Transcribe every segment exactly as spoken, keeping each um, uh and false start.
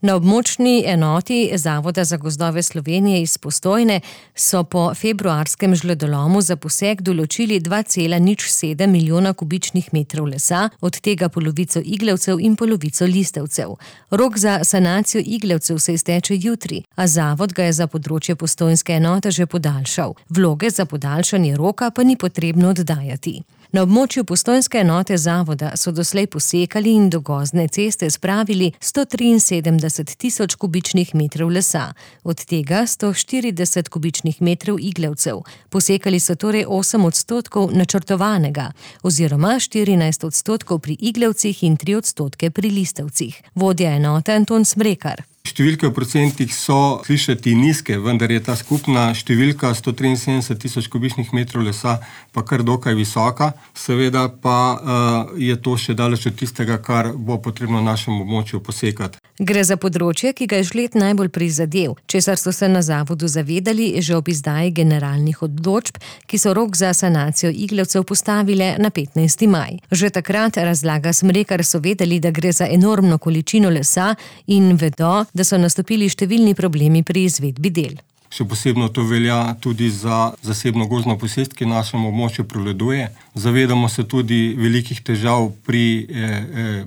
Na območni enoti Zavoda za gozdove Slovenije iz Postojne so po februarskem žledolomu za posek določili dva cela nič sedem milijona kubičnih metrov lesa, od tega polovico iglevcev in polovico listavcev. Rok za sanacijo iglevcev se izteče jutri, a zavod ga je za področje postojnske enote že podaljšal. Vloge za podaljšanje roka pa ni potrebno oddajati. Na območju postojnske enote zavoda so doslej posekali in do gozdne ceste spravili sto triinsedemdeset tisoč kubičnih metrov lesa, od tega sto štirideset kubičnih metrov iglevcev. Posekali so torej osem odstotkov načrtovanega, oziroma štirinajst odstotkov pri iglevcih in tri odstotke pri listavcih. Vodja enote Anton Smrekar. Številke v procentih so slišati nizke, vendar je ta skupna številka sto triinsedemdeset tisoč kubičnih metrov lesa pa kar dokaj visoka. Seveda pa uh, je to še daleč od tistega, kar bo potrebno na našem območju posekati. Gre za področje, ki ga je žled najbolj prizadel, česar so se na zavodu zavedali že ob izdaji generalnih odločb, ki so rok za sanacijo iglevcev postavile na petnajsti maj. Že takrat, razlaga Smrekar, so vedeli, da gre za enormno količino lesa in vedo, da so nastopili številni problemi pri izvedbi del. Še posebno to velja tudi za zasebno gozdno posest, ki na našem območju prevladuje. Zavedamo se tudi velikih težav pri eh, eh,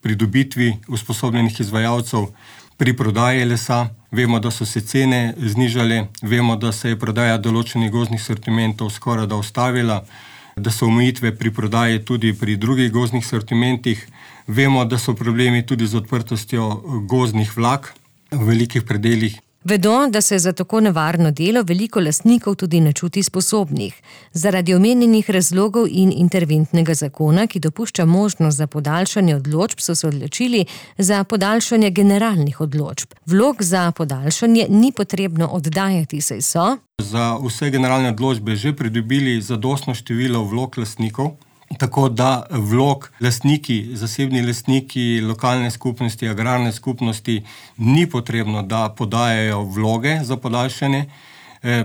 pridobitvi usposobljenih izvajalcev pri prodaji lesa. Vemo, da so se cene znižale, vemo, da se je prodaja določenih gozdnih sortimentov skoraj da ustavila, da so omejitve pri prodaji tudi pri drugih gozdnih sortimentih. Vemo, da so problemi tudi z odprtostjo gozdnih vlak v velikih predelih. Vedo, da se za tako nevarno delo veliko lastnikov tudi ne čuti sposobnih. Zaradi omenjenih razlogov in interventnega zakona, ki dopušča možnost za podaljšanje odločb, so se odločili za podaljšanje generalnih odločb. Vlog za podaljšanje ni potrebno oddajati, saj so za vse generalne odločbe že pridobili zadostno število vlog lastnikov, tako da vlog lastniki, zasebni lastniki, lokalne skupnosti, agrarne skupnosti ni potrebno, da podajajo vloge za podaljšanje,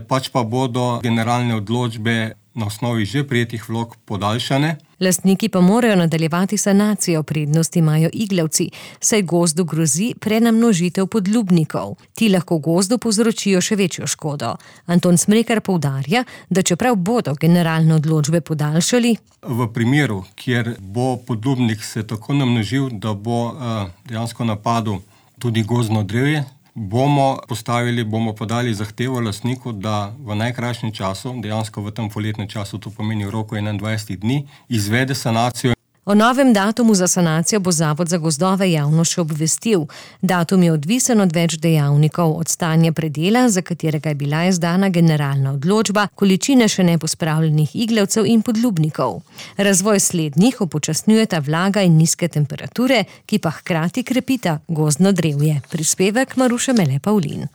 pač pa bodo generalne odločbe na osnovi že prejetih vlog podaljšane. Lastniki pa morajo nadaljevati sanacijo, prednosti imajo iglevci, saj gozdu grozi prenamnožitev podlubnikov. Ti lahko gozdu povzročijo še večjo škodo. Anton Smrekar poudarja, da čeprav bodo generalne odločbe podaljšali, v primeru, kjer bo podlubnik se tako namnožil, da bo uh, dejansko napadel tudi gozdno drevje, bomo postavili, bomo podali zahtevo lastniku, da v najkrajšem času, dejansko v tem poletnem času, to pomeni v roku enaindvajset dni, izvede sanacijo. O novem datumu za sanacijo bo Zavod za gozdove javno še obvestil. Datum je odvisen od več dejavnikov, od stanja predela, za katerega je bila izdana generalna odločba, količine še nepospravljenih iglevcev in podlubnikov. Razvoj slednjih upočasnjujeta vlaga in nizke temperature, ki pa hkrati krepita gozdno drevje. Prispevek Maruše Mele Pavlin.